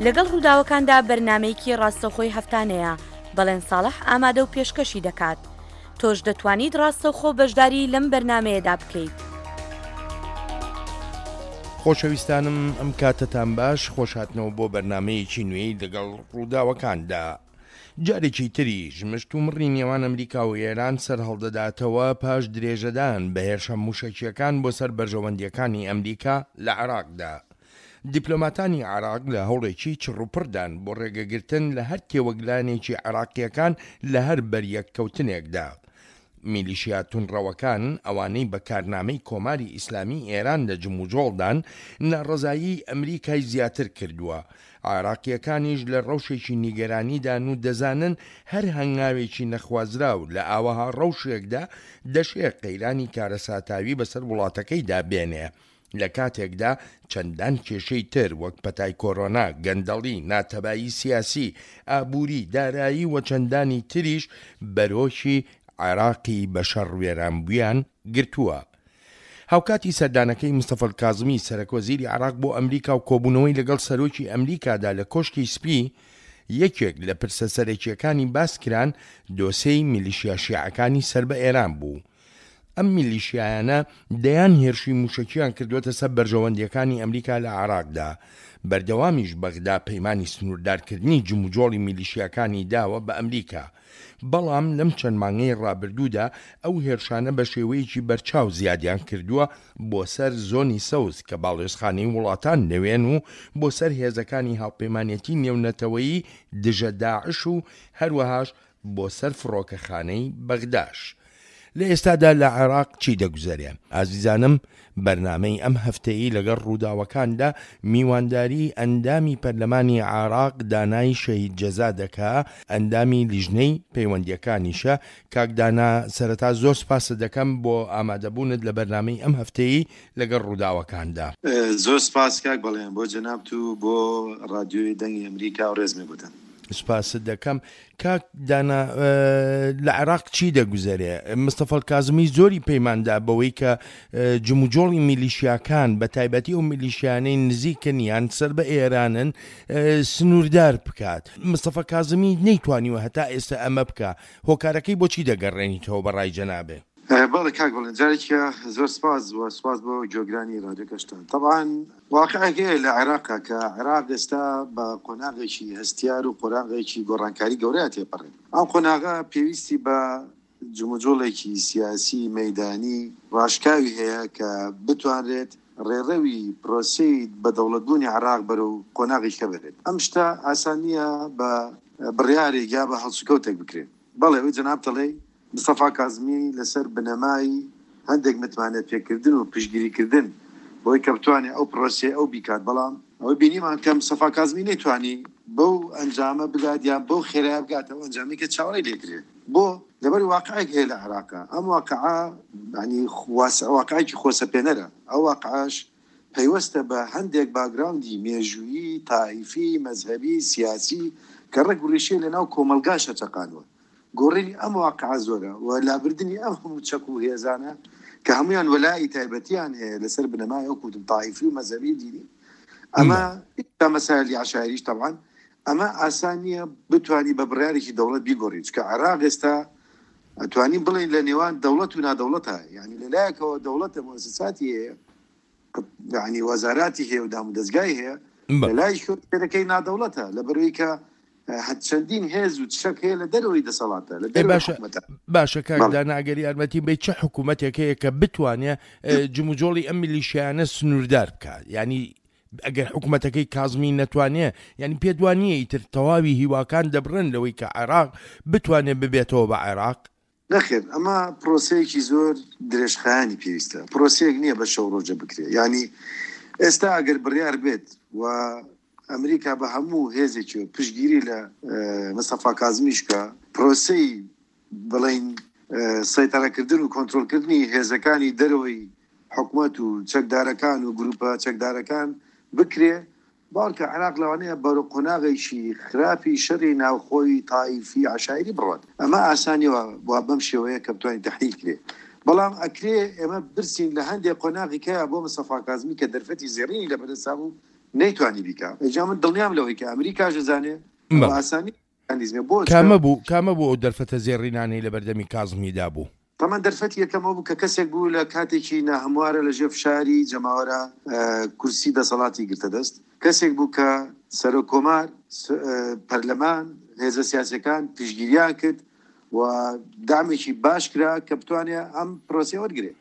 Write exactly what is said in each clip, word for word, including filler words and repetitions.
لەگەڵ ڕووداوەکاندا بەرنامەیەکی ڕاستەوخۆی هەفتانەیە، بەڵێن ساڵح ئامادە و پێشکەشی دەکات. تۆش دەتوانیت ڕاستەوخۆ بەشداری لەم بەرنامەیەدا بکەیت. خۆشەویستانم ئەم کاتەتان باش، خۆشهاتنەوە بۆ بەرنامەیەکی نوێی لەگەڵ ڕووداوەکاندا. جارێکی تریش مشتومڕی نێوان ئەمریکا و ئێران سەرهەڵدەداتەوە پاش درێژەدان بە هێرشە مووشەکییەکان بۆ سەر بەرژەوەندییەکانی ئەمریکا لە عێراقدا. دیپلۆماتانی عێراق لە هەوڵێکی چڕوپڕدان بۆ ڕێگەگرتن لە هەر تێوەگلانێکی عێراقییەکان لە هەر بەریەککەوتنێکدا. میلیشیا توندڕەوەکان، ئەوانەی بە کارنامەی کۆماری ئیسلامی ئێران لە جموجۆڵدان، ناڕەزایی ئەمریکای زیاتر کردووە. عێراقییەکانیش لە ڕەوشێکی نیگەرانیدان و دەزانن هەر هەنگاوێکی نەخوازراو لە ئاوەها ڕەوشێکدا دەشێ قەیرانی کارەساتاوی بەسەر وڵاتەکەیدا بێنێ. لە کاتێکدا چەندان کێشەی تر وەک پەتای کۆرۆنا، گەندەڵی، ناتەبایی سیاسی، ئابووری، دارایی و چەندانی تریش بەرۆکی عێراقی بە شەڕ وێرانبوویان گرتووە. هاوکاتی سەردانەکەی مستەفا کازمی سەرەکوەزیری عێراق بۆ ئەمریکا و کۆبوونەوەی لەگەڵ سەرۆکی ئەمریکادا لە کۆشکی سپی، یەکێک لە پرسە سەرەکییەکانی باس کران دۆسێی میلیشیا شیعەکانی سەر بە ئێران بوو. ئەم میلیشیایانە دەیان هێرشی مووشەکییان کردووەتە سەر بەرژەوەندییەکانی ئەمریکا لە عێراقدا. بەردەوامیش بەغدا پەیمانی سنووردارکردنی جموجۆڵی میلیشیاکانی داوە بە ئەمریکا. بەڵام لەم چەند مانگەی ڕابردوودا ئەو هێرشانە بە شێوەیەکی بەرچاو زیادیان کردووە بۆ سەر زۆنی سەوز کە باڵیۆزخانەی وڵاتان لەوێن و بۆ سەر هێزەکانی هاوپەیمانێتی نێونەتەوەیی دژە داعش و هەروەهاش بۆ سەر فڕۆکەخانەی بەغداش. لە ئێستادا لە عێراق چی دەگوزەرێ؟ ئازیزانم بەرنامەی ئەم هەفتەیەی لەگەڵ ڕووداوەکاندا میوانداری ئەندامی پەرلەمانی عێراق دانای شەهید جەزا دەکا، ئەندامی لیژنەی پەیوەندیەکانیشە. کاک دانا سەرەتا زۆر سپاست دەکەم بۆ ئامادەبوونت لە بەرنامەی ئەم هەفتەیەی لەگەڵ ڕووداوەکاندا. زۆر سپاس کاک بەڵێن بۆ جەنابت و بۆ ڕادیۆی دەنگی ئەمریکا و ڕێزمێ بۆتان. سپاست دەکەم. کاک دانا لە عێراق چی دەگوزەرێ؟ مستەفا کازمی زۆری پەیماندا بەوەی کە جموجۆڵی میلیشیاکان بە تایبەتی ئەو میلیشیانەی نزیکن یان سەر بە ئێرانن سنووردار بکات. مستەفا کازمی نەیتوانیوە هەتا ئێستا ئەمە بکە. هۆکارەکەی بۆچی دەگەڕێنیتەوە بە ڕای جەنابێ؟ بەڵێ کاک بەڵێن، جارێکیە زۆر سپاس و سپاس بۆ گوێگرانی رادیۆکەشتان. طبعا واقعێک هەیە لە عێراق کە عێراق ئێستا بە قۆناغێکی هەستیار و قۆناغێکی گۆڕانکاری گەورەیە تێپەڕێت. ئەم قۆناغە پێویستی بە جموجۆڵێکی سیاسی مەیدانی ڕاشکاوی هەیە کە بتوانرێت ڕێڕەوی پرۆسەی بە دەوڵەتبوونی عێراق بەرەو قۆناغێکە بەرێت. ئەم شتە ئاسان نییە بە بڕیارێک یا بە هەڵسوکەوتێک بکرێت. بەڵێ ئەوەی جەناب دەڵێی مستەفا کازمی لەسەر بنەمای هەندێک متمانە پێکردن و پشتگیریکردن بۆی کە بتوانێت ئەو پرۆسەیە ئەو بیکات، بەڵام ئەوەی بینیمان کە مستەفا کازمی نەیتوانی بەو ئەنجامە بگات یان بەو خێرایە بگاتە ئەو ئەنجامی کە چاوەڕێی لێکرێت. بۆ لەبەر واقعێک هەیە لە عێراقا، ئەم واقعە یعنی واقعێکی خۆسەپێنەرە. ئەو واقعەش پەیوەستە بە هەندێک باگراوندی مێژوویی، تائیفی، مەزهەبی، سیاسی کە ڕێک ڕیشەی لەناو کۆمەڵگاشە چەقانوە. گۆڕینی ئەم واقعە زۆرە و لابردنی ئەم هەموو چەک و هێزانە کە هەمویان وەلائی تایبەتیان هەیە لەسەر بنەمای ئەو کوتم تائیفی و مەزهەبی دینی، ئەمە مەسایلی عەشایریش تەبعەن ئەمە ئاسان نییە بتوانی بە بڕیارێکی دەوڵەت بیگۆڕی، چونکە عێراق ئێستا ئەتوانین بڵێین لە نێوان دەوڵەت و نادەوڵەتە. یعنی لەلایەکەوە دەوڵەتە مؤسساتی هەیە، یعنی وەزاراتی هەیە و دامودەزگای هەیە، لەلای شوێنەکەی نادەوڵەتە لەبەرەوەی کە چەندین هێز و چەک هەیە لە دەرەوەی دەسەڵاتە، لە دەرەوەی حکوومەتە. باشە کاک دانا، ئەگەر یارمەتی بەی چه حکوومەتێک هەیە کە بتوانێ جموجۆڵی ئەم میلیشیانە سنووردار بکات؟ یعنی ئەگەر حکوومەتەکەی کازمی نەتوانێ، یعنی پێت وانییە ئیتر تەواوی هیواکان دەبڕن لەوەی کە عێراق بتوانێت ببێتەوە بە عێراق؟ نەخێر، ئەمە پرۆسەیەکی زۆر درێژخایەنی پێویستە، پرۆسەیەک نییە بە شەو ڕۆژە بکرێت. یعنی ئێستا ئەگەر بڕیار بێت و ئەمریکا بە هەموو هێزێکی پشتگیری لە مستەفا کازمیش کە پرۆسەی بڵین سەیتەرەکردن و کۆنترۆڵکردنی هێزەکانی دەرەوەی حکومەت و چەکدارەکان و گروپە چەکدارەکان بکرێ، باوەڕکە عێراق لەوانەیە بەرەو قۆناغێکی خراپی شەڕی ناوخۆی تائیفی عەشایری بڕات. ئەمە ئاسانیەوە بەم شێوەیە کە بتوانین تەحلیل کرێ، بەڵام ئەکرێ ئێمە برسین لە هەندێک قۆناغی کەیە بۆ مستەفا کازمی کە دەرفەتی زێڕینی لە بەردەستا بوو نەیتوانی بیکا. ئەجا من دڵنیام لەوەی کە ئەمریکاش دەزانێ بە ئاسانی میکانیزمێ بۆ کامە بوو کامە بوو ئەو دەرفەتە زێڕینانەی لە بەردەمی کازمیدا بوو؟ تەمان دەرفەتی یەکەمەوە بوو کە کەسێک بوو لە کاتێکی ناهەموارە لە ژێر فشاری جەماوەرە کورسی دەسەڵاتی گرتە دەست، کەسێک بوو کە سەرۆک کۆمار، پەرلەمان، هێزە سیاسەکان پشتگیریان کرد و دامێکی باش کرا کە بتوانێت ئەم پرۆسەیە وەرگێ.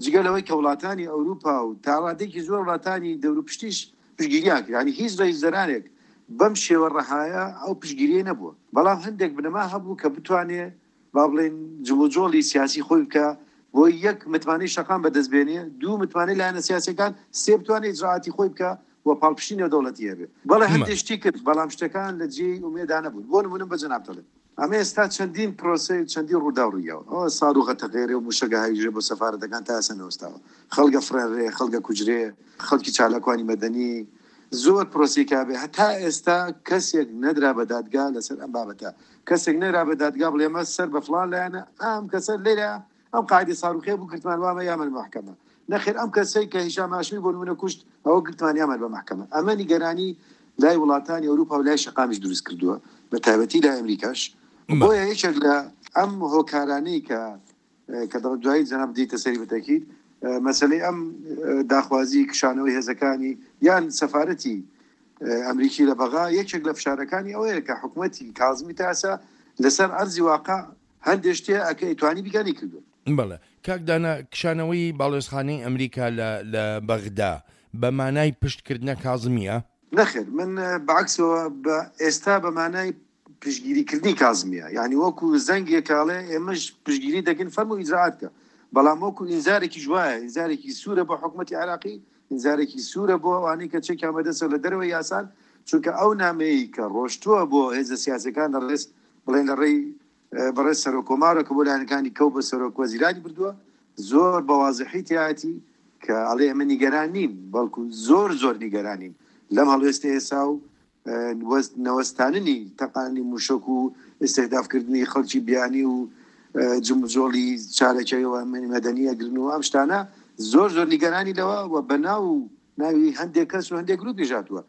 جگە لەوەی کە وڵاتانی ئەوروپا و تا ڕادەیەکی زۆر وڵاتانی دەوروپشتیش پشتگیریان کرد، یعنی هیچ ڕێزدەرانێک بەم شێوە ڕەهایە ئەو پشتگیریە نەبووە. بەڵام هەندێک بنەما هەبوو کە بتوانێت با بڵێن جموجۆڵی سیاسی خۆی بکە بۆ یەک متمانەی شەقام بەدەست بێنێ، دوو متمانەی لایەنە سیاسیەکان، سێ بتوانێت ئیجراعاتی خۆی بکە و پاڵپشتی نێودەوڵەتی هەبێ. بەڵێ هەندێک شتی کرد، بەڵام شتەکان لە جێی ئومێدا نەبوون. بۆ نمونە بە جەناب دەڵێم ئەمە ئێستا چەندین پرۆسەی چەندین ڕووداو ڕوویاوە، ئەوە ساروغە تەغێرێ و موشەکە هاویژێ بۆ سەفارەتەکان تا ئێستا نەوەستاوە، خەڵکە فڕێنرێ، خەڵکە کوجرێ، خەڵکی چالاکوانی مەدەنی، زۆر پرۆسەی کابێ. هەتا ئێستا کەسێک نەدرا بە دادگا لەسەر ئەم بابەتە، کەسێک نەدرا بە دادگا بڵێ ئەمە سەر بە فڵان لایەنە، ئەم کەسە لێرە ئەم قاعدەی ساروخێ بوو گرتمان وامە یامن محکەمە، نەخێر ئەم کەسەی کە هیشام هاشمی بۆ نمونە کوشت ئەوە گرتمان یامن بە محکەمە. ئەمە نیگەرانی لای وڵاتانی ئەوروپا و لای شەقامیش دروست کردووە، بە تایبەتی لای ئەمریکاش. بۆیە یەکێک لە ئەم هۆکارانەی کە کە دوایی جەناب دیتە سەری بەتەکید مەسلەی ئەم داخوازی کشانەوەی هێزەکانی یان سەفارەتی ئەمریکی لە بەغا، یەکێک لە فشارەکانی ئەوەیە کە حکوومەتی کازمی تا ئێستا لەسەر ئەرزی واقع هەندێک شتێ ئەکە ئەیتوانی بیگانی کردووە. بەڵێ کاک دانا، کشانەوەی باڵێزخانەی ئەمریکا لە بەغدا بە مانای پشتکردنە کازمیە؟ نەخێر، من بەعکسەوە بە ئێستا بە مانای پشتگیریکردنی کازمیە، یعنی وەکو زەنگێکاڵێ ئێمەش پشتگیری دەکەین فەرموو ئیجراعات کە، بەڵام وەکو ئینزارێکی وایە، ئینزارێکی سوورە بۆ حکوومەتی عێراقی، ئینزارێکی سوورە بۆ ئەوانەی کە چێکیان بەدەستەوە لە دەرەوەی یاسان، چونکە ئەو نامەیە کە ڕۆشتووە بۆ هێزە سیاسەکان لە ڕێز بڵێن لە ڕێی بەڕێز سەرۆک کۆمارە کە بۆ لایەنەکانی کەو بە سەرۆک وەزیرانی بردووە، زۆر بە وازحی تیایەتی کە ئەڵێ ئێمە نیگەران نین، بەڵکو زۆر زۆر نیگەرانین لەم هەڵوێستە ئێسا و نەوەستاننی تەقانی موشک و ئستهدافکردنی خەڵکی بیانی و جمجۆڵی چارەکەیەوە مەدەنی ئەگرن و ئەم شتانە زۆر زۆر نیگەرانی لەوە و بەناو ناوی هەندێک کەس و هەندێک گروپیش هاتووە.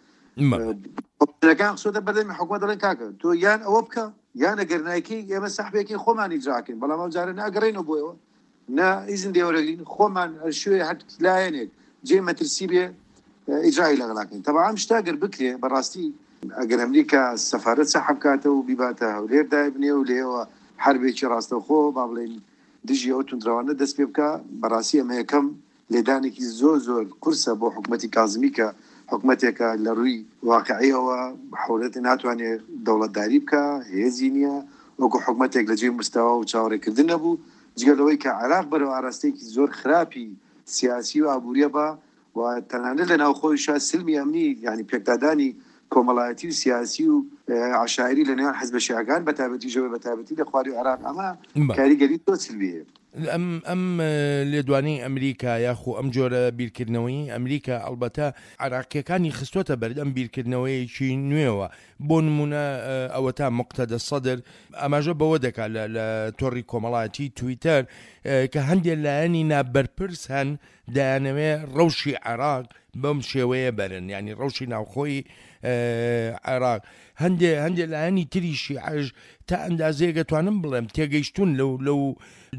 ەکان خسۆتە بەردەمی حکوومەت دەڵێن کاکە تۆ یان ئەوە بکە یان ئەگەر نایکەی ئێمە سەحبێکی خۆمان ئیجراکەین، بەڵام ئەو جارە ناگەڕێنەوە بۆیەوە، نا ئیزن لێوەرەگرین، خۆمان شوێ هەر لایەنێک جێ مەترسی بێ ئیجرای لەگەڵاکەین. تەبعا ئەم شتە ئەگەر بکرێ بەڕاستی ئەگەر ئەمریکا سەفارەت سەحب بکاتەوە و بیباتە هەولێر دایبنێ و لێوە حربێکی ڕاستەوخۆ با بڵێین دژی ئەو توندڕەوانە دەست پێ بکە، بەڕاستی ئەمە یەکەم لێدانێکی زۆر زۆر قورسە بۆ حکوومەتی کازمی کە حکوومەتێکە لە ڕووی واقعیەوە حولەت ناتوانێت دەوڵەتداری بکە، هێزی نییە، وەکو حکوومەتێک لە جێی مستەوا و چاوەڕێکردن نەبوو، جگە لەوەی کە عێراق بەرەو ئاراستەیەکی زۆر خراپی سیاسی و ئابووریە بە و تەنانەت لە ناوخۆیشا سلمی ئەمنی، یعنی پێکدادانی کۆمەڵایەتی و سیاسی و عشایری لە نێوان حزبە شیعەکان بە تایبەتی ژەوە بە تایبەتی لە خواری عێراق ئەمە کاریگەری زۆر سلبی هەیە. ئەم ئەم لێدوانەی ئەمریکا یاخو ئەم جۆرە بیرکردنەوەی ئەمریکا ئەلبەتە عراقیەکانی خستووەتە بەردەم بیرکردنەوەیەکی نوێوە. بۆ نمونە ئەوەتا مقتەدە سەدر ئاماژە بەوە دەکات لە تۆڕی کۆمەڵایەتی تویتەر کە هەندێک لایەنی نابەرپرس هەن دەیانەوێ ڕەوشی عێراق بەم شێوەیە بەرن، ینی ڕەوشی ناوخۆی عێراق. هەندێ هەندێک لایەنی تری شیعەش تا ئەندازەیەک ئەتوانم بڵێم تێگەیشتون لەو لەو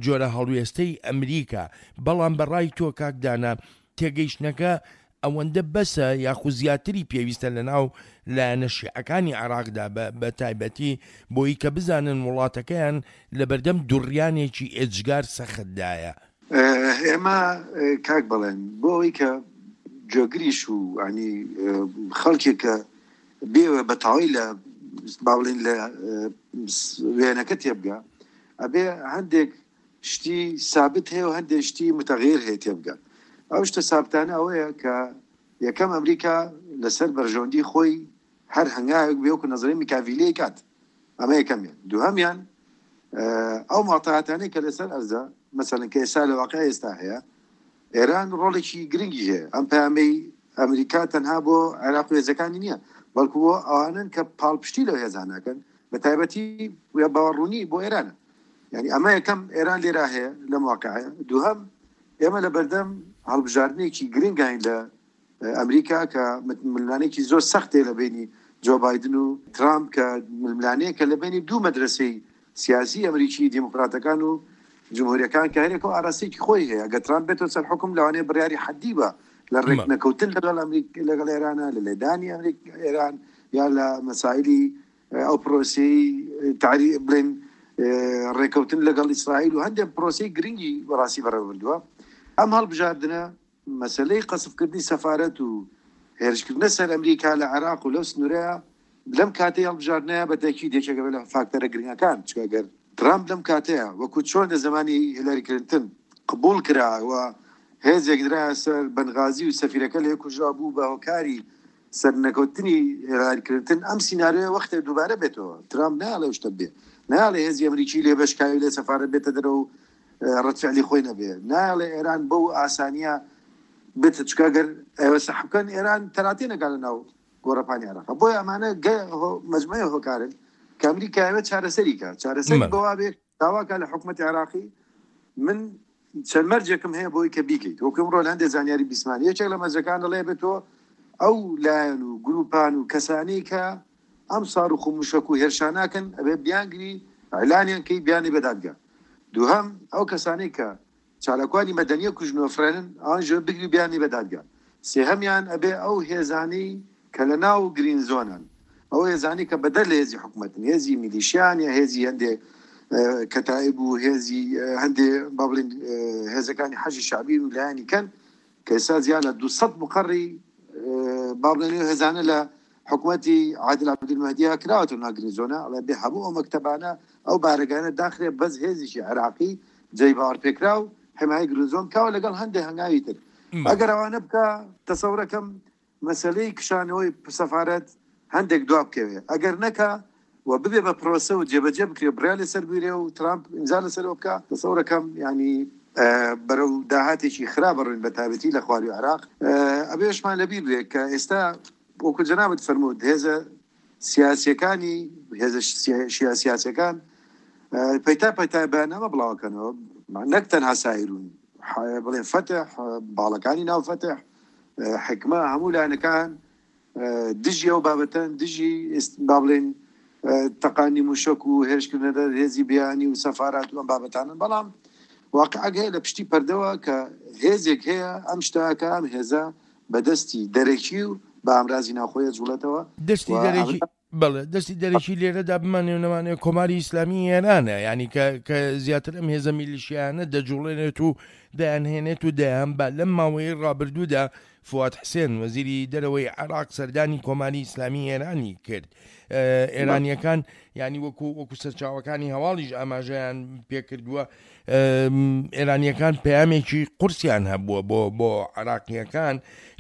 جۆرە هەڵوێستەی ئەمریکا، بەڵام بەڕای تۆ کاک دانا تێگەیشتنەکە ئەوەندە بەسە یاخو زیاتری پێویستە لە ناو لایەنە شیعەکانی عێراقدا بە تایبەتی بۆی کە بزانن وڵاتەکەیان لە بەردەم دوڕیانێکی ئێجگار سەختدایە؟ ئێمە کاک بڵێن بۆ ئەوەی کە جۆگریش و ینی خەڵکێک کە بێوە بە تەواوی لە با بڵێن لە وێنەکە تێبگا، ئەبێ هەندێک شتی سابت هەیە و هەندێک شتی متەغیر هەیە تێبگا. ئەو شتە سابتانە ئەوەیە کە یەکەم ئەمریکا لەسەر بەرژەوەندی خۆی هەر هەنگاوێک بێ وەکو نەزەری میکاڤیلی کات، ئەمە یەکەمیان. دووهەمیان ئەو ماتەهاتانەی کە لەسەر ئەرزە، مەسەلەن کە ئێستا لە واقع ئێستا هەیە، ئێران ڕۆڵێکی گرنگی هەیە. ئەم پەیامەی ئەمریکا تەنها بۆ عێراق و هێزەکانی نییە، بەڵکو بۆ ئەوانن کە پاڵپشتی لەو هێزانەکەن، بە تایبەتی باوەڕوونی بۆ ئێرانە. یعنی ئەمە یەکەم ئێران لێرا هەیە لەم واقعەیە. دووهەم ئێمە لە بەردەم هەڵبژاردنێکی گرنگین لە ئەمریکا کە ململانێکی زۆر سەختێ لە بینی جۆ بایدن و ترامپ، کە ململانەیەکە لە بینی دوو مەدرسەی سیاسی ئەمریکی، دیموکراتەکان و جمهوریەکان، کە هەرێک و ئاراستەیەکی خۆی هەیە. ئەگەر ترامپ بێتەوە سەر حکوم لەوانەیە بڕیاری حەدی بە لە ڕێکنەکەوتن لەگەڵ ئەمریکا لەگەڵ ئێرانە، لە لێدانی ئەمریکا ئێران یا لە مەسائلی ئەو پرۆسەی تعری بڵێن ڕێکەوتن لەگەڵ ئیسرائیل و هەندێک پرۆسەی گرنگی بەڕاستی بەڕێوەبردووە. ئەم هەڵبژاردنە مەسلەی قەسفکردنی سەفارەت و هێرشکردنە سەر ئەمریکا لە عێراق و لەو سنوورەیە لەم کاتەی هەڵبژاردنەیە بە تەکید یەکێکە لە فاکتەرە گرنگەکان، چونکە ئەگەر ترامپ لەم کاتەیە وەکو چۆن لە زمانی هیلاری کلینتن قبول کرا و هێزێک درایە سەر بەنغازی و سەفیرەکە لێ کوژرا بوو بە هۆکاری سەرنەکەوتنی هیلاری کلینتن، ئەم سیناریۆیە وەختێ دووبارە بێتەوە. ترامپ نایەڵێ شتە بێ، نایەڵێ هێزی ئەمریکی لێ بەشکاوی لێ سەفارەت بێتە دەرەوە و ڕەتفعلی خۆی نەبێ، نایەڵێ ئێران بەو ئاسانیە بێتە، چونکە ئەگەر ئێوە سەحب بکەن ئێران تەراتێ نەکات لە ناو گۆڕەپانی عێراق. بۆیە ئەمانە مەجموعەی هۆکارن کە ئەمریکا ئەوێ چارەسەری کە چارەسەری بەوا بێ داواکە لە حکوومەتی عێراقی من چەند مەرجێکم هەیە بۆی کە بیکەیت. وەکو ئەمڕۆ لە هەندێک زانیاری بیسمان یەکێک لە مەرجەکان دەڵێ بێت تۆ ئەو لایەن و گروپان و کەسانی کە ئەم ساروخ و موشەک و هێرشاناکەن ئەبێ بیانگری ئەعلانیان کەی بیانی بە دادگا. دووهەم ئەو کەسانی کە چالاکوانی مەدەنیە کوژن و فرێنن ئەوان ژێر بگری بیانی بە دادگا. سێهەمیان ئەبێ ئەو هێزانی کە لە ناو گرین زۆنن، ئەو هێزانی کە بەدەر لە هێزی حکوومەتن، هێزی میلیشیان یا هێزی هەندێک کەتائیب و هێزی هەندێ با بڵێن هێزەکانی حەجی شەعبی و لایەنی کەن کە ئێستا زیاد لە دووسەد مقەڕی با بڵێن هێزانە لە حکوومەتی عادل عەبدولمەهدیە کراوەتەوە ناو گرین زۆنە. ئەڵێ بێ هەموو ئەو مەکتەبانە ئەو بارەگانە داخرێ بەس هێزێکی عێراقی جێی باوەڕپێکراو حمایەی گرین زۆن بکاوە لەگەڵ هەندێک هەنگاوی تر. ئەگەر ئەوانە بکە تەسەورەکەم مەسلەی کشانەوەی سەفارەت هەندێک دوا بکەوێ. ئەگەر نەکا و ببێ بە پرۆسە و جێبەجێ بکرێ بڕیار لەسەر بگرێ و ترامپ ئیمزا لەسەرەوە بکا، تەسەورەکەم یعنی بەرەو داهاتێکی خراپ بڕین بە تایبەتی لە خواروی عێراق. ئەبێشمان لەبیر بێ کە ئێستا وەکو جەنابت فەرمووت هێزە سیاسیەکانی هێزە شیعە سیاسیەکان پەیتا پەیتا بەیاننامە بڵاوەکەنەوە، نەک تەنها سایرون، بڵێن فەتح، باڵەکانی ناو فەتح، حکمە، هەموو لایەنەکان دژی ئەو بابەتەن، دژی با بڵێن تەقانی موشەک و هێرشکردنە دەر هێزی بیانی و سەفارات و ئەم بابەتانن. بەڵام واقعەک هەیە لە پشتی پەردەوە کە هێزێک هەیە ئەم شتاکە ئەم هێزە بەدەستی دەرەکی و بە ئامرازی ناوخۆیە جوڵێتەوە. دەستی دەرەکی بەڵێ، دەستی دەرەکی لێرەدا بمانێ و نەمانێ کۆماری ئیسلامی ئێرانە، یعنی کە کە زیاتر ئەم هێزە میلیشیانە دەجوڵێنێت و دەیانهێنێت و دەیانبا. لەم ماوەیەی ڕابردوودا فواد حسێن وەزیری دەرەوەی عێراق سەردانی کۆماری ئیسلامی ئێرانی کرد. ئێرانیەکان یعنی وەکو وەکو سەرچاوەکانی هەواڵیش ئاماژەیان پێکردووە، ئێرانیەکان پەیامێکی قورسیان هەبووە بۆ بۆ عێراقیەکان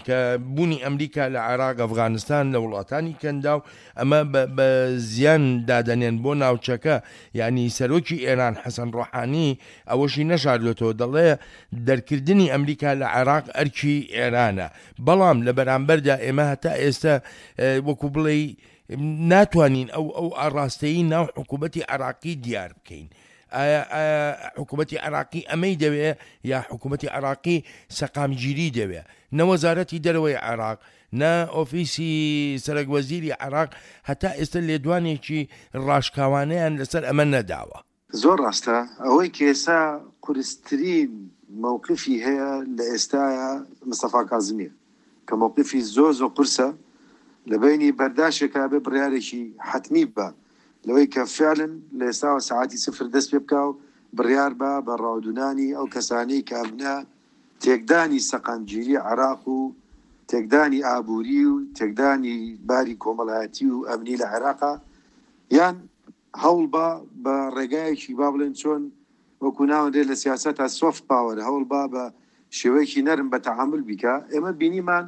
کە بوونی ئەمریکا لە عێراق، ئەفغانستان، لە وڵاتانی کەندا و ئەمە بە زیان دادەنێن بۆ ناوچەکە. یعنی سەرۆکی ئێران حەسەن ڕۆحانی ئەوەشی نەشاردوێتەوە، دەڵێ دەرکردنی ئەمریکا لە عێراق ئەرکی ئێرانە. بەڵام لە بەرامبەردا ئێمە هەتا ئێستا وەکو بڵێ ناتوانین ئەو ئەو ئاڕاستەیی ناو حکوومەتی عێراقی دیار بکەین. ئایا ئایا حکوومەتی عێراقی ئەمەی دەوێ یا حکوومەتی عێراقی سەقامگیری دەوێ؟ نە وەزارەتی دەرەوەی عێراق نە ئۆفیسی سەرەک وەزیری عێراق هەتا ئێستا لێدوانێکی ڕاشکاوانەیان لەسەر ئەمە نەداوە. زۆر ڕاستە. ئەوەی کە ئێستا قورسترین مووقفی هەیە لە ئێستاە مستەفا کازمیە کە مووقفی زۆر زۆر قورسە لە بینی بەرداشێکا بێ بڕیارێکی حەتمی بە لەوەی کە فعلن لە ئێستاوە سەعاتی سفر دەست پێ بکا و بڕیار بە بە ڕاودونانی ئەو کەسانەی کە ئەبنە تێکدانی سەقامگیری عێراق و تێکدانی ئابووری و تێکدانی باری کۆمەڵایەتی و ئەمنی لە عێراقا، یان هەوڵ بە بە ڕێگایەکی با بڵێن چۆن وەکو ناوەندێت لە سیاسەتا soft power، هەوڵ با بە شێوەیەکی نەرم بە تەعامل بیکا. ئێمە بینیمان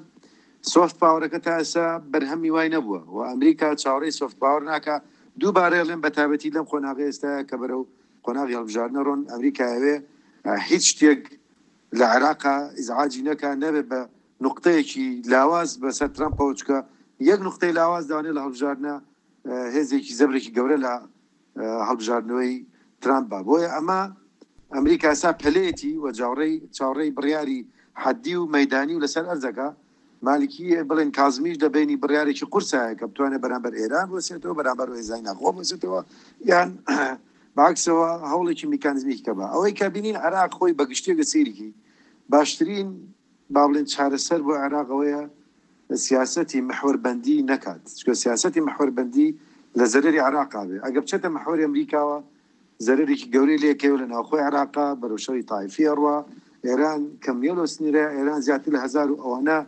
soft power ەکە تا ئێستا بەرهەمی وای نەبووە و ئەمریکا چاوەڕێی soft power ناکا. دووبارە ئەڵێن بە تایبەتی لەم قۆناغی ئێستاە کە بەرەو قۆناغی هەڵبژاردنە ڕۆن، ئەمریکا ئەوێ هیچ شتێک لە عێراقا ئیزعاجی نەکا، نەبێ بە نقطەیەکی لاواز بەسەر ترامپەوە، چکە یەک نقطەی لاواز داوانێ لە هەڵبژاردنە هێزێکی زەبرێکی گەورە لە هەڵبژاردنەوەی ترامپ با. بۆیە ئەمە ئەمریکا ئێستا پەلێتی و چاوەڕێی چاوەڕێی بڕیاری حەدی و مەدانی و لەسەر ئەرزەکە. مالکی بڵێن کازمیش لە بینی بڕیارێکی قورسایە کە بتوانێت بەرامبەر ئێران بوەسێتەوە، بەرامبەر هێزای ناخۆ بوەسێتەوە، یان باکسەوە هەوڵێکی میکانیزمی کە بە ئەوەی کە بینین عێراق خۆی بەگشتیەکە سەیرێکی باشترین با بڵێن چارەسەر بۆ عێراق ئەوەیە سیاسەتی محوەربەندی نەکات، چونکە سیاسەتی محوەربەندی لە زەرەری عێراقا بێ. ئەگەر بچێتە محوەری ئەمریکاوە زەرەرێکی گەورەی لێکەوە لە ناوخۆی عێراقا بەرەو شەڕی تایفی ئەڕوا. ئێران کەم نییە لەو سنوورە، ئێران زیاتر لە هەزار و ئەوانە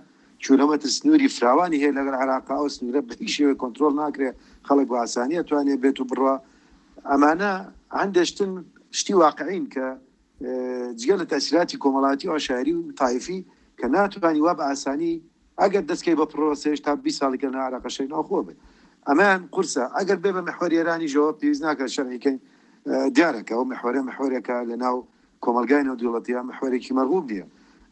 کیلۆمەتر سنووری فراوانی هەیە لەگەڵ عێراقا، ئەو سنوورە بە هیچ شێوەیەک کۆنترۆڵ ناکرێ، خەڵک بە ئاسانی ئەتوانێ بێت و بڕوا. ئەمانە هەندێک شتن شتی واقعین کە جگە لە تەسیراتی کۆمەڵاتی و عەشایری و تایفی کە ناتوانانی وا بە ئاسانی ئەگەر دەستکەی بە پرۆسێش تا بیست ساڵی کە لە عێراق شەڕی ناوخۆ بێت، ئەمەیان قورسە. ئەگەر بێ بە محوەری ئێرانیشەوە پێویست ناکات شەرعیکەین، دیارە کە ئەو محوەرە محوەرێکە لە ناو کۆمەلگای نێودەوڵەتیە محوەرێکی مەرغوب نییە.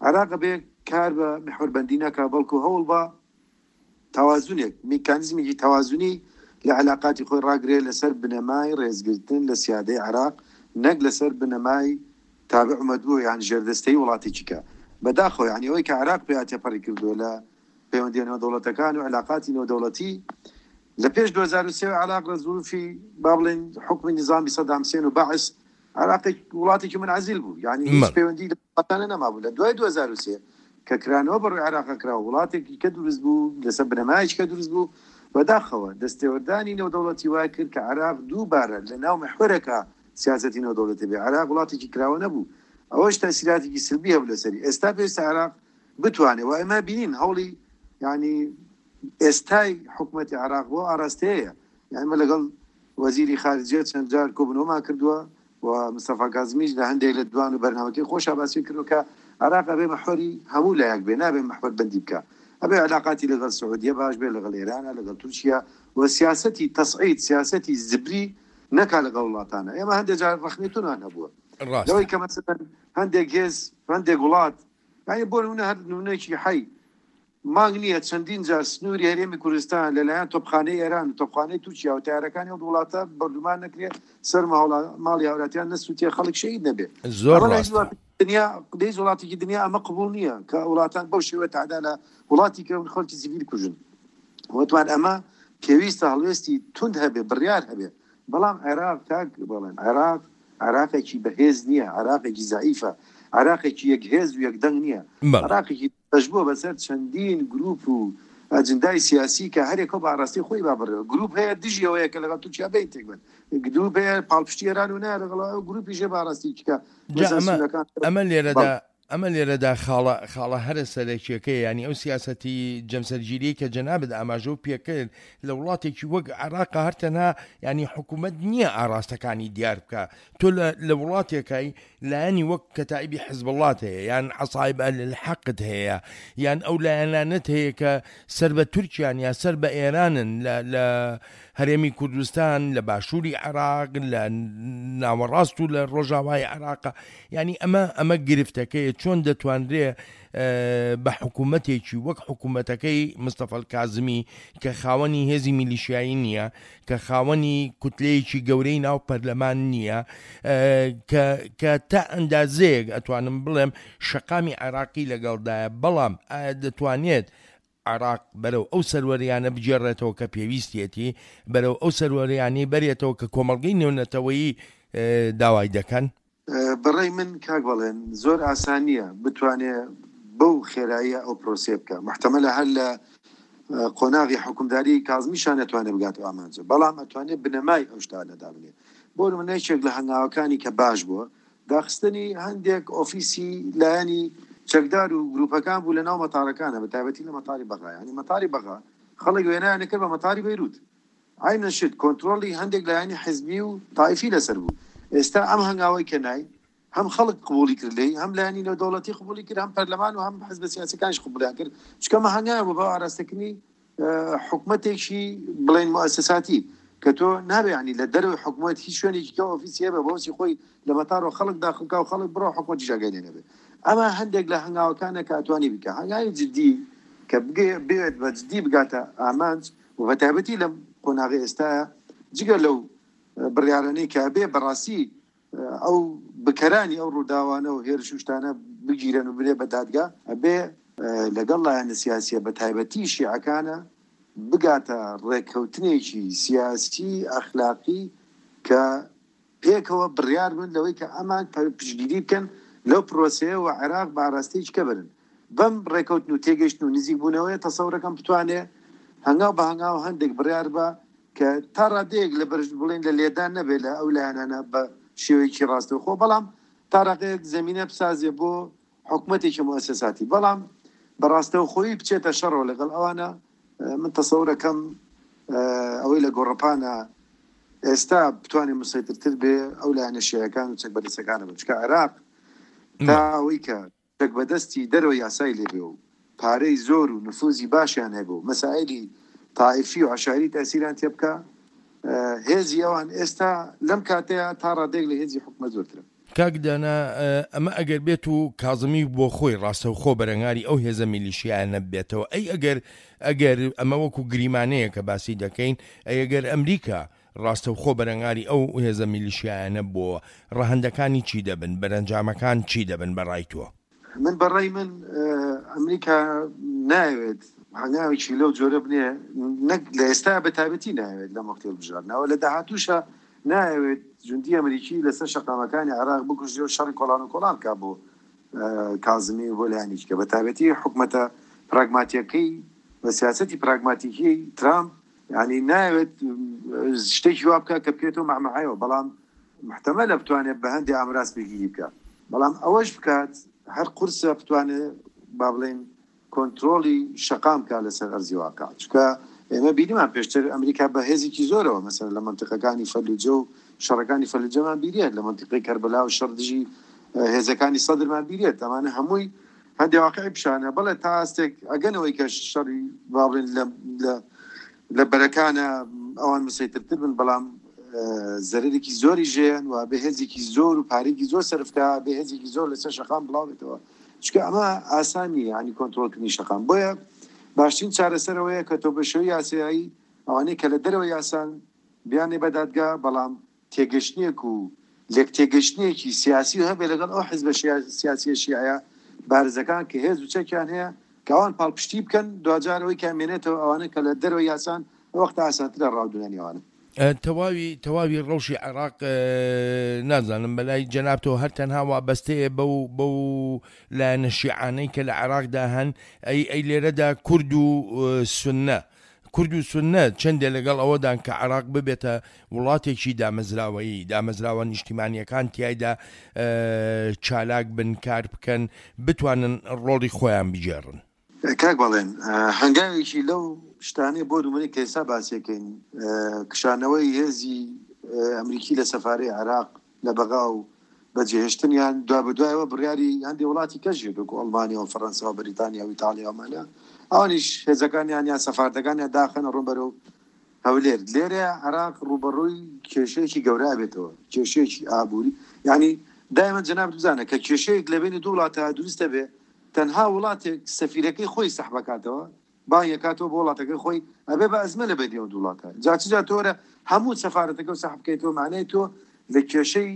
عێراق بێ کار بە محوەربەندی نەکا، بەڵکو هەوڵ بە تەوازنێک، میکانیزمێکی تەوازنی لە علاقاتی خۆی ڕاگرێ لەسەر بنەمای ڕێزگرتن لە سیادەی عێراق، نەک لەسەر بنەمای تابع و مەتبوع یان ژێردەستەی وڵاتێکی کە بەداخەوە. یعنی ئەوەی کە عێراق پێ تێپەڕی کردووە لە پەیوەندیە نێودەوڵەتەکان و علاقاتی نێودەوڵەتی لە پێش دوو هەزار و سێ عێراق لە زروفی با بڵێن حکومی نظامی سەدام حسێن و بەعس عێراق وڵاتێکی منعزل بوو، یعنی هیچ پەیوەندی لە وڵاتانە نەمابوو. لە دوای دوو هەزار و سێ کە کرانەوە بەڕووی عێراق کرا، وڵاتێکی کە دروست بوو لەسەر بنەمایەکی کە دروست بوو، بەداخەوە دەستێوەردانی نێودەوڵەتی وای کرد کە عێراق دووبارە لە ناو محوەرەکە سیاسەتی نێودەوڵەتی بێ. عێراق وڵاتێکی کراوە نەبوو، ئەوەش تەسیراتێکی سلبی هەبوو لەسەری. ئێستا پێویستە عێراق بتوانێت و ئێمە بینین هەوڵی یعنی ئێستای حکوومەتی عێراق بۆ ئاراستەیە. یعنی ئێمە لەگەڵ وەزیری خارجیە چەند جار کۆبوونەوەمان کردووە و مستەفا کازمیش لە هەندێک لە دوان و بەرنامەکەی خۆشا باسی کردووە کە عێراق ئەبێ محوەری هەموو لایەک بێ، نابێ محوەر بەندی بکە. ئەبێ علاقاتی لەگەڵ سعودیە باش بێ، لەگەڵ ئێرانە، لەگەڵ تورکیا، و سیاسەتی تەسعید، سیاسەتی زبری نەکا لەگەڵ وڵاتانە. ئێمە هەندێک جار ڕەخنەی تونمان هەبووە لەوەی کە مەسەلەن هەندێک هێز، هەندێک وڵات، یعنی بۆ نمونە هەر نمونەیەکی حەی مانگ نییە چەندین جار سنووری هەرێمی کوردستان لەلایەن تۆپخانەی ئێران و تۆپخانەی تورکیا و تارەکانی ئەو وڵاتە بەردومان نەکرێت، سەر ماڵی هاوڵاتیان نەسووتێ، خەڵک شەهید نەبێ. زۆر ڕاستە. دنیا لە وڵاتێکی دنیا ئەمە قبوڵ نییە کە وڵاتان بەو شێوە تەعدا لە وڵاتی کە خەڵکی سیڤیل کوژن. وتمان ئەمە پێویستە هەڵوێستی توند هەبێ، بڕیار هەبێ. بەڵام عێراق کاک بڵێن عێراق عێراقێکی بەهێز نییە، عێراقێکی زەعیفە، عێراقێکی یەکهێز و یەکدەنگ نییە، عێراقێکی بەشبووە بەسەر چەندین گروپ و ئەجندای سیاسی کە هەرێکەوە بە ئاراستەی خۆی با بڕێوە. گروپ هەیە دژی ئەوەیە کە لەگەڵ تورکیا بین تێک بن، گروپ هەیە پاڵپشتی ئێران و نایە لەگەڵ ئەو گروپیش هەیە بە ئاراستەی کە ئەمە لێرەدا ئەمە لێرەدا خاڵە خاڵە هەرە سەرەکیەکەی، ینی ئەو سیاسەتی جەمسەرگیری کە جەنابت ئاماژە و پێکرد لە وڵاتێکی وەک عێراق هەر تەنها ینی حکوومەت نییە ئاراستەکانی دیار بکە. تۆ لە وڵاتێکای لایەنی وەک کەتائیبی حزبوڵات هەیە، یان عەسایب ئەهلحەقت هەیە، یان ئەو لایەنانەت هەیە کە سەر بە تورکیان یا سەر بە ئێرانن لە هەرێمی کوردستان، لە باشووری عێراق، لە ناوەڕاست و لە ڕۆژاوای عێراق. ینی ئەمە ئەمە گرفتەکەیە. چۆن دەتوانرێ بە حکوومەتێکی وەک حکوومەتەکەی مستەفا کازمی کە خاوەنی هێزی میلیشیایی نییە، کە خاوەنی کوتلەیەکی گەورەی ناو پەرلەمان نییە، کە تا ئەندازەیەک ئەتوانم بڵێم شەقامی عێراقی لەگەڵدایە، بەڵام ئایا دەتوانێت عێراق بەرەو ئەو سەروەریانە بگێڕێتەوە کە پێویستیەتی، بەرەو ئەو سەروەریانەی بەرێتەوە کە کۆمەڵگەی نێونەتەوەیی داوای دەکەن؟ بەڕێی من کاک بڵێن زۆر ئاسان نییە بتوانێ بەو خێراییە ئەو پرۆسێ بکە. محتەمەلە هەر لە قۆناغی حکومداری کازمیشان نەتوانێت بگاتەوە ئامانجە، بەڵام ئەتوانێت بنەمای ئەو شتانە دابنێ. بۆ نمونە یەکێک لە هەنگاوەکانی کە باش بووە داخستنی هەندێک ئۆفیسی لایەنی چەکدار و گروپەکان بوو لە ناو مەتارەکانە، بە تایبەتی لە مەتاری بەغا. یعنی مەتاری بەغا خەڵک وێنایان کرد بە مەتاری بەیروت، عینەن شت کۆنترۆڵی هەندێک لایەنی حزبی و تایفی لەسەر بوو. ئێستا ئەم هەنگاوەی کە نای هەم خەڵک قبولی کرد لێی، هەم لایەنی نێودەوڵەتی قبولی کرد، هەم پەرلەمان و هەم حزبە سیاسیەکانیش قبولیان کرد، چونکە ئەمە هەنگاوە بوو بۆ ئاراستەکردنی حکومەتێکی بڵێن موئەسەساتی کە تۆ نابێ ینی لە دەرەوەی حکومەت هیچ شوێنێکی کە ئۆفیسی هەبێ بۆ خۆی لە مەتارەوە خەڵک داخل بکا و خەڵک بڕۆ حکومەتیش ئاگای لێ نەبێ. ئەمە هەندێک لە هەنگاوەکانە کە ئەتوانی بکە، هەنگاوی جدی کە بێت بە جدی بگاتە ئامانج و بە تایبەتی لەم قۆناغی ئێستاە، جگە لەو بڕیارانەی کە بێ بەڕاستی ئەو بکەرانی ئەو ڕووداوانە و هێرش و شتانە بگیرن و بنێ بە دادگا، ئەبێ لەگەڵ لایەنە سیاسیە بە تایبەتی شیعەکانە بگاتە ڕێککەوتنێکی سیاسی ئەخلاقی کە پێکەوە بڕیار بن لەوەی کە ئەمان پشتگیری بکەن لەو پرۆسەیە و عێراق بە ئاراستەیەکی کە بەرن. بەم ڕێککەوتن و تێگەیشتن و نزیک بوونەوەی تەسەورەکەم بتوانێ هەنگاو بە هەنگاو هەندێک بڕیار بە کە تا ڕادەیەک لە بەرز بڵێن لە لێدان نەبێت لە ئەو لایەنانە بە شێوەیەکی ڕاستەوخۆ، بەڵام تا ڕادەیەک زمینە بسازێ بۆ حکومەتێکی موئەسەساتی، بەڵام بەڕاستەوخۆیی بچێتە شەڕەوە لەگەڵ ئەوانە. من تەسەورەکەم ئەوەی لە گۆڕەپانە ئێستا بتوانێت مسەیترتر بێ ئەو لایەنە شیعەکان و چەک بەدەستەکانە بن، چونکە عێراق تا ئەوەی کە چەک بەدەستی دەرەوە یاسای لێبێ و پارەی زۆر و نفوزی باشیان هەبوو، مەسائلی تائیفی و عەشایری تەسیریان تێ بکە، هێزی ئەوان ئێستا لەم کاتەیە تا ڕادەیەک لە هێزی حکومەت زۆرترە. کاک دانا، ئەمە ئەگەر بێت و کازمی بۆ خۆی ڕاستەوخۆ بەرەنگاری ئەو هێزە میلیشیایانە بێتەوە، ئەی ئەگەر ئەگەر ئەمە وەکو گریمانەیە کە باسی دەکەین، ئەی ئەگەر ئەمریکا ڕاستەوخۆ بەرەنگاری ئەو هێزە میلیشیایانە بۆ، ڕەهەندەکانی چی دەبن، بەرەنجامەکان چی دەبن بەڕای تۆ؟ من بەڕای من ئەمریکا ناوێت هەنگاوێکی لەو جۆرە بنێ، نەک لە ئێستا بە تایبەتی ناوێت لە وەختی هەڵبژاردنەوە، لە داهاتووشە ناوێت جوندی ئەمریکی لەسەر شەقامەکانی عێراق بکوژێ و شەڕی کۆڵان و کۆڵان بکا بۆ کازمی و بۆ لایەنێکی کە بە تایبەتی حکومەتە پراگماتیەکەی بە سیاسەتی پراگماتیکی ترامپ، یعنی ناوێت شتێکی وا بکا کە بکرێتەوە مەعمەعەیەوە، بەڵام محتەمەلە بتوانێت بە هەندێک ئامراز پێگیری بکا، بەڵام ئەوەش بکات هەر قورسە بتوانێت با بڵێن کۆنترۆڵی شەقام بکا لەسەر ئەرزی واقع. چونکە ئێمە بینیمان پێشتر ئەمریکا بە هێزێکی زۆرەوە مەسەلەن لە منطقەکانی فەلوجە و شەڕەکانی فەلوجەمان بیرێت، لە منطقەی کەربەلا و شەڕ دژی هێزەکانی سەدرمان بیرێت، ئەمانە هەمووی هەندێک واقعی پیشانە. بەڵێ تا ئاستێک ئەگەنەوەی کە شەڕی با بڵێن لە بەرەکانە ئەوان مسەیترتر بن، بەڵام زەرەرێکی زۆری ژێن و بە هێزێکی زۆر و پارێکی زۆر سەرفکا، بە هێزێکی زۆر لەسەر شەقام بڵاو بێتەوە، چونکە ئەمە ئاسان نییە یعنی کۆنترۆڵکردنی شەقام. بۆیە باشترین چارەسەرەوەیە کە تۆ بە شێوەی یاسایی ئەوانەی کە لە دەرەوە یاسان بیانێ بە دادگا، بەڵام تێگەشتنێک و لێک تێگەشتنێکی سیاسی هەبێ لەگەڵ ئەو حیزبە سیاسیە شیعە بارزەکان کە هێز و چەکیان هەیە کە ئەوان پاڵپشتی بکەن، دوجار ئەوەی کە ئەمێنێتەوە ئەوانە کە لە دەرەوە یاسان ئەو وەختە ئاسانترە ڕاودونانی ئەوانە. تەواوی تەواوی ڕەوشی عێراق نازانم بەلای جەنابتەوە هەر تەنها وابەستەیە بەو بەو لایەنە شیعانەی کە لە عێراقدا هەن، ئەی ئەی لێرەدا کورد و سوننە، کورد و سوننە چەندێ لەگەڵ ئەوەدان کە عێراق ببێتە وڵاتێکی دامەزراوەیی، دامەزراوە نیشتیمانیەکان تیایدا چالاک بن، کار بکەن، بتوانن ڕۆڵی خۆیان بگێڕن؟ کاک بەڵێن، هەنگاوێکی لەو شتانەی بۆ نمونەی کە ئێستا باسیەکەین، کشانەوەی هێزی ئەمریکی لە سەفارەی عێراق لە بەغا و بەجێهێشتنیان دوا بەدوایەوە بڕیاری هەندێک وڵاتی کەش هەیە وەکو ئەڵمانیا و فەڕەنسا و بەریتانیا و ئیتالیا ومانە، ئەوانیش هێزەکانیان یان سەفارەتەکانیان داخەنە ڕوون بەرەو هەولێر. لێرە عێراق ڕووبەڕووی کێشەیەکی گەورە بێتەوە، کێشەیەکی ئابووری. یعنی دائما جەناب بزانە کە کێشەیەک لە بینی دوو وڵاتە دروستە بێ، تەنها وڵاتێک سەفیرەکەی خۆی سەحبەکاتەوە، بانگەکاتەوە بۆ وڵاتەکەی خۆی، ئەبێ بە ئەزمە لە بەینی ئەو دوو وڵاتە. جا چ جا تۆرە هەموو سەفارەتەکە و سەحب بکەیتەوە، معنای تۆ لە کێشەی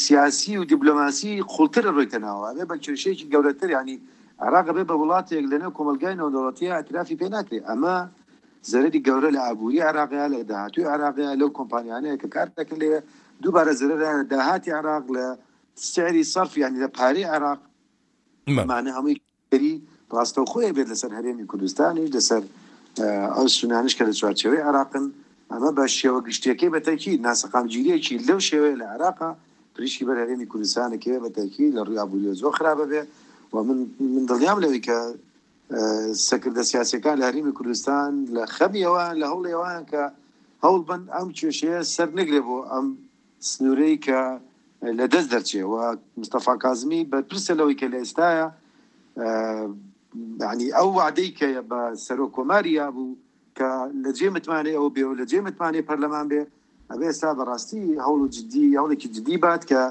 سیاسی و دیپلۆماسی قوڵتر ڕۆیتە ناوە، ئەبێ بە کێشەیەکی گەورەتر. یعنی عێراق ئەبێ بە وڵاتێک لەنێو کۆمەلگای نێودەوڵەتیە ئاعترافی پێ ناکرێ. ئەمە زەرەری گەورە لە ئابووری عێراقیە، لە داهاتوی عێراقیە، لەو کۆمپانیانەیە کە کار دەکەن لێ، دووبارە زەرەرە لە داهاتی عێراق، لە سعری سەرف، یعنی لە پارەی عێراق. ئەمانە هەمووی کاری ڕاستەوخۆیە بێت لەسەر هەرێمی کوردستانیش، لەسەر ئەو سونانیش کە لە چوارچێوەی عێراقن. ئەمە بە شێوە گشتیەکەی بە تەکید ناسەقامگیریەکی لەو شێوەیە لە عێراقا پریشکی بەر هەرێمی کوردستانەکەوێ بە تەکید لە ڕووی ئابووریەوە زۆر خراپە بێ. و من من دڵنیام لەوەی کە سەکردە سیاسیەکان لە هەرێمی کوردستان لە خەمیەوە لە هەوڵێوان کە هەوڵ بن ئەم کێشەیە سەر نەگرێ بۆ ئەم سنوورەی کە لە دەست دەرچێ. و مستەفا کازمی بەرپرسە لەوەی کە لە ئێستاە یعنی ئەو وعدەی کە بە سەرۆک کۆماری یابوو کە لە جێ متمانەی ئەو بێ و لە جێ متمانەی پەرلەمان بێ، ئەبێ ئێستا بەڕاستی هەوڵ و جدی، هەوڵێکی جدی بات کە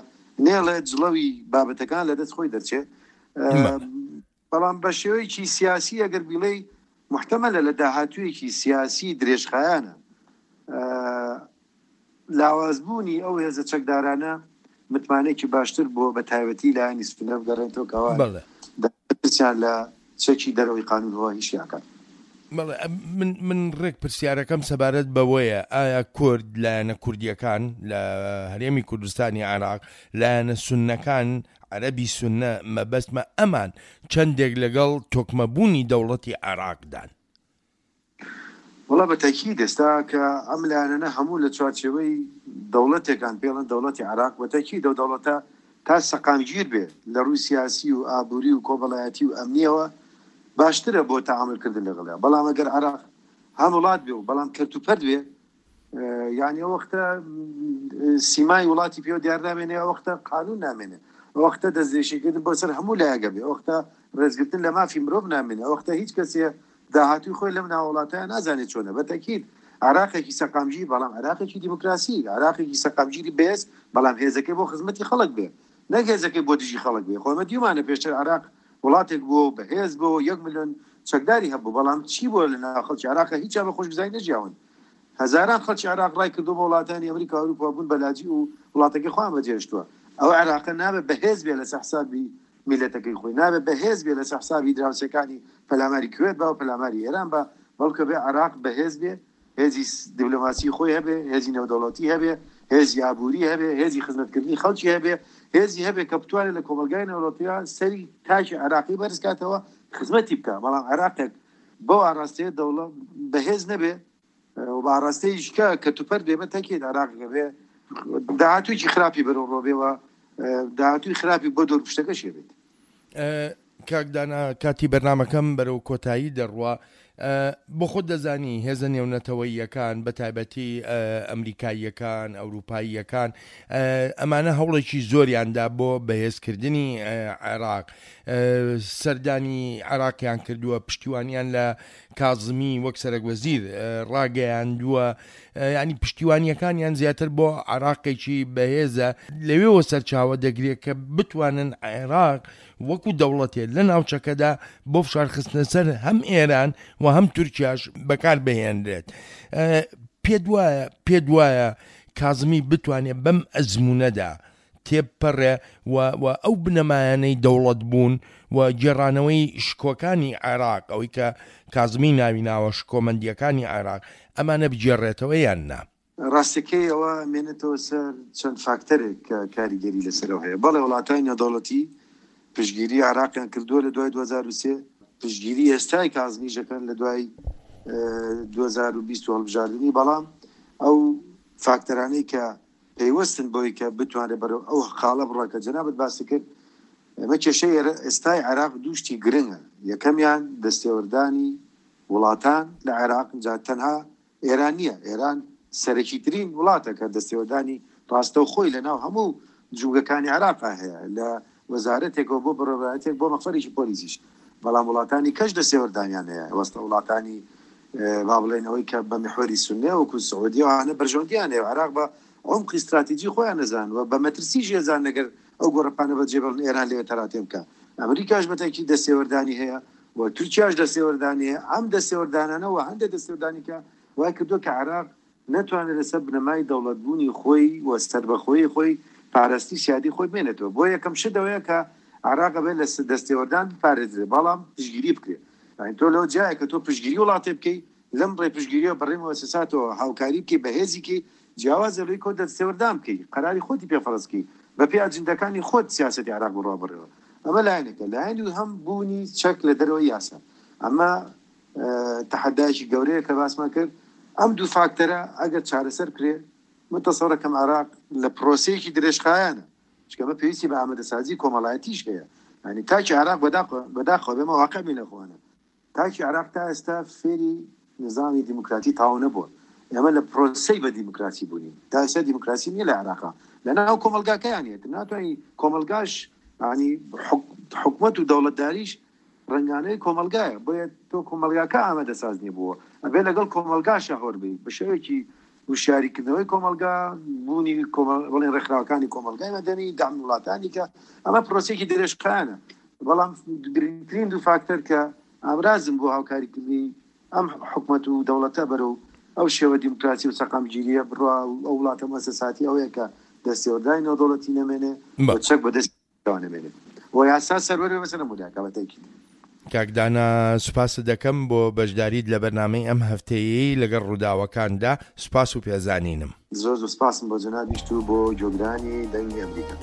نێڵێت جڵەوی بابەتەکان لە دەست خۆی دەرچێ. بەڵام بە شێوەیەکی سیاسی ئەگەر بیڵێی محتەمەلە لە داهاتوویەکی سیاسی درێژخایەنە لاوازبوونی ئەو هێزە چەکدارانە متمانەیەکی باشتر بۆ بە تایبەتی لایەنی سوننە بگەڕێنەوە کەوا دەستیان لە چەکی دەرەوەی قانونەوە هیچ ناکات. من من ڕێک پرسیارەکەم سەبارەت بەوەیە ئایا کورد لایەنە کوردیەکان لە هەرێمی کوردستانی عێراق لایەنە سوننەکان عەرەبی سوننە مەبەستمە ئەمان چەندێک لەگەڵ تۆکمەبوونی دەوڵەتی عێراقدان؟ وەڵا بە تەکید ئێستا کە ئەم لایەنانە هەموو لە چوارچێوەی دەوڵەتێکان پێڵن دەوڵەتی عێراق، بە تەکید ئەو دەوڵەتە تا سەقامگیر بێ لە ڕووی سیاسی و ئابووری و کۆمەڵایەتی و ئەمنیەوە باشترە بۆ تەعاملکردن لەگەڵیا. بەڵام ئەگەر عێراق هەم وڵات بێ و بەڵام کەرت و پەرت بێ، یعنی ئەو وەختە سیمای وڵاتی پێوە دیار نامێنێ، ئەو وەختە قانون نامێنێ، ئەو وەختە دەستدرێژیکردن بۆ سەر هەموو لایەکە بێ، ئەو وەختە ڕێزگرتن لە مافی مرۆڤ نامێنێ، ئەو وەختە هیچ کەسێ داهاتووی خۆی لەم ناوڵاتەیە نازانێت چۆنە. بە تەکید عێراقێکی سەقامگیر، بەڵام عێراقێکی دیموکراسی، عێراقێکی سەقامگیری بێز، بەڵام هێزەکەی بۆ خزمەتی خەڵک بێ، نەک هێزەکەی بۆ دژی خەڵک بێ. خۆ ئێمە دیومانە پێشتر عێراق وڵاتێک بوو بەهێز بوو، یەک ملیۆن چەکداری هەبوو، بەڵام چی بووە لە ناو خەڵکی عێراق؟ هیچیان بە خۆشگوزاری نەژیاون. هەزاران خەڵکی عێراق ڕای کردو بۆ وڵاتانی ئەمریکا و ئەوروپا بوون بە لاجی و وڵاتەکەی خۆیان بەجێهێشتووە. ئەو عێراقە نابێت بەهێز بێ لەسەر حسابی میلەتەکەی خۆی، نابێت بەهێز بێ لەسەر حسابی دراوسێکانی پەلاماری کوێت با و پەلاماری ئێران با، بەڵکە بێ عێراق بەهێز بێ، هێزی دیپلۆماسی خۆی هەبێ، هێزی نێودەوڵەتی هەبێ، هێزی ئابووری هەبێ، هێزی خزمەتکردنی خەڵکی هەبێ، هێزی هەبێ کە بتوانێت لە کۆمەلگای نێودەوڵەتیە سەری تاکی عێراقی بەرز کاتەوە خزمەتی بکە. بەڵام عێراقێک بەو ئاراستەیە دەوڵەت بەهێز نەبێ و بە ئاراستەیەکی کە کەتوپەر بێ، بە تەکید عێراق بێ داهاتوویەکی خراپی بەرەو ڕۆ بێ و داهاتووی خراپی بۆ دەورپشتەکەشی بێت. کاک دانا، کاتی بەرنامەکەم بەرەو کۆتایی دەڕوا. بۆ خۆت دەزانی هێزە نێونەتەوەییەکان بە تایبەتی ئەمریکاییەکان، ئەوروپاییەکان، ئەمانە هەوڵێکی زۆریاندا بۆ بەهێزکردنی عێراق، سەردانی عێراقیان کردووە، پشتیوانیان لە کازمی وەک سەرەک وەزیر ڕاگەیاندووە، ینی پشتیوانیەکانیان زیاتر بۆ عێراقێکی بەهێزە لەوێوە سەرچاوە دەگرێت کە بتوانن عێراق وەکو دەوڵەتێت لە ناوچەکەدا بۆ فشارخستنە سەر هەم ئێران و هەم تورکیاش بەکار بهێنرێت. پێت وایە پێت وایە کازمی بتوانێت بەم ئەزمونەدا تێپەڕێ و ئەو بنەمایانەی دەوڵەت بوون و گێڕانەوەی شکۆکانی عێراق، ئەوەی کە کازمی ناوی ناوە شکۆمەندیەکانی عێراق، ئەمانە بگێڕێتەوە یان نا؟ ڕاستەکەی ئەوە مێنێتەوە سەر چەند فاکتەرێک کە کاریگەری لەسەرەوە هەیە. بەڵێ وڵاتانی نێودەوڵەتی پشتگیری عێراقیان کردووە لە دوای دوو هەزار و سێ، پشتگیری ئێستای کازمیژەکەن لە دوای دوو هەزار و بیست و هەڵبژاردنی، بەڵام ئەو فاکتەرانەی کە پەیوەستن بۆی کە بتوانێت بەرەو ئەو خاڵە بڕە کە جەنابت باسی کرد، ئێمە کێشەی ئێستای عێراق دوو شتی گرنگە. یەکەمیان دەستێوەردانی وڵاتان لە عێراق، جا تەنها ئێران نییە، ئێران سەرەکیترین وڵاتە کە دەستێوەردانی ڕاستەوخۆی لەناو هەموو جوگەکانی عێراق هەیە، لە وەزارەتێکەوە بۆ بەڕێوەبەرایەتێک بۆ مەخفەرێکی پۆلیسیش، بەڵام وڵاتانی کەش دەستێوەردانیان هەیە. وەستە وڵاتانی با بڵێن ئەوەی کە بە میحوەری سوننە وەکو سعودیە وانە بەرژەوەندیان هەیە، عێراق بە عمقی استراتیژی خۆیان نەزان و بە مەترسی ژێزان نەگەر ئەو گۆڕەپانە بەجێ بڵن ئێران لەوێ تەراتێ بکە. ئەمریکاش بەتەکی دەستێوەردانی هەیە و تورکیاش دەستێوەردانی هەیە. ئەم دەستێوەردانانەوە هەندێک دەستێوەردانی کە وای کردووە کە عێراق نەتوانێت لەسەر بنەمای دەوڵەتبوونی خۆی و سەربەخۆیی خۆی پاراستی سیادی خۆی بمێنێتەوە. بۆ یەکەم شت ئەوەیە کە عێراق ئەبێت لە دەستێوەردان بپارێزرێت، بەڵام پشتگیری بکرێت. یعنی تۆ لەو جایە کە تۆ پشتگیری وڵاتێ بکەی، لەم ڕێ پشتگیریەوە بەڕێ مؤسساتەوە هاوکاری بکەی، بەهێزی کەی، جیاوازە لەوەی کۆ دەستێوەردان بکەی، قەراری خۆتی پێ فەرز بکەی، بە پێی ئەجندەکانی خۆت سیاسەتی عێراق بڕوا بڕێەوە. ئەمە لایەنێکە. لایەنی هەم بوونی چەک لە دەرەوەی یاسا، ئەمە تەحەدایەکی گەورەیە کە باسمان کرد. ئەم دوو فاکتەرە ئەگەر چارەسەر بکرێ، من تەسەورەکەم عێراق لە پرۆسەیەکی درێژخایەنە، چونکە ئەمە پێویستی بە ئامادەسازی کۆمەڵایەتیش هەیە. یعنی تاکی عێراق بەداخەوە بێمە واقع بین لە خۆوانە، تاکی عێراق تا ئێستا فێری نظامی دیموکراتی تاو نەبووە. ئێمە لە پرۆسەی بە دیموکراسی بوونین، تا ئێستا دیموکراسی نییە لە عێراقا، لەناو کۆمەلگاکەیان نییە. ناتوانانی کۆمەلگاش ینی حکومەت و دەوڵەتداریش ڕەنگانەی کۆمەلگایە، بۆیە تۆ کۆمەلگاکە ئامادەساز نییە بووە، ئەبێ لەگەڵ کۆمەلگاشە هۆر بی بە شێوەیەکی هوشیاریکردنەوەی کۆمەلگا، بوونی بڵێن ڕێکخراوەکانی کۆمەلگای مەدەنی، دام وڵاتانی کە ئەمە پرۆسێکی درێژخایەنە. بەڵام گرنگترین دوو فاکتەر کە ئامرازن بۆ هاوکاریکردنی ئەم حکومەت و دەوڵەتە بەرەو ئەو شێوە دیموکراسی و سەقامگیریە بڕوا ئەو وڵاتە مؤسساتی ئەوەیە کە دەستێوەردانی نێودەوڵەتی نەمێنێ و چەک بەدەستەوە نەمێنێ و یاسا سەروەر بێ بەسەر هەموو لایەکە بە تەئکید. کاک دانا سوپاست دەکەم بۆ بەشداریت لە بەرنامەی ئەم هەفتەیەی لەگەڵ ڕووداوەکاندا، سوپاس و پێزانینم. زۆر زۆر سوپاسم بۆ جەنابیشت و بۆ گوێگرانی دەنگی ئەمریکا.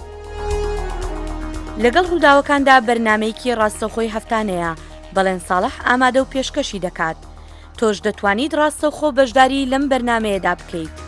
لەگەڵ ڕووداوەکاندا بەرنامەیەکی ڕاستەوخۆی هەفتانەیە، بەڵێن ساڵح ئامادە و پێشکەشی دەکات. تۆش دەتوانیت ڕاستەوخۆ بەشداری لەم بەرنامەیەدا بکەیت.